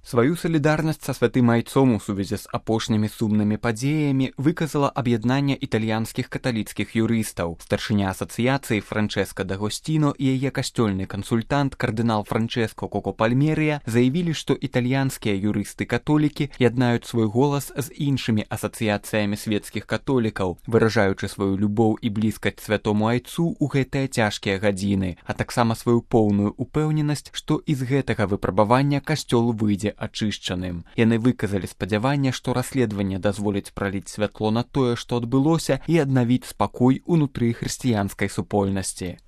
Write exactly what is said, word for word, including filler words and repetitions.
Сваю салідарнасць са святым айцом у сувязі з апошнімі сумнымі падзеямі выказала аб'яднанне італьянскіх каталіцкіх юрыстаў. Старшыня асацыяцыі Франчэска Д'Агосціно і яе касцёльны кансультант кардынал Франчэско Коко Пальмерыя заявілі, што італьянскія юрысты-католікі яднаюць свой голас з іншымі асацыяцыямі светскіх католікаў, выражаючы сваю любоў і блізкасць святому айцу ў гэтыя цяжкія гадзіны, а таксама сваю поўную упэўненасць, што і з гэтага выпрабавання касцёл выйдзе ачышчаным. Яны выказалі спадзяванне, што расследаванне дазволіць праліць святло на тое, што адбылося, і аднавіць спакой унутры хрысціянскай супольнасці.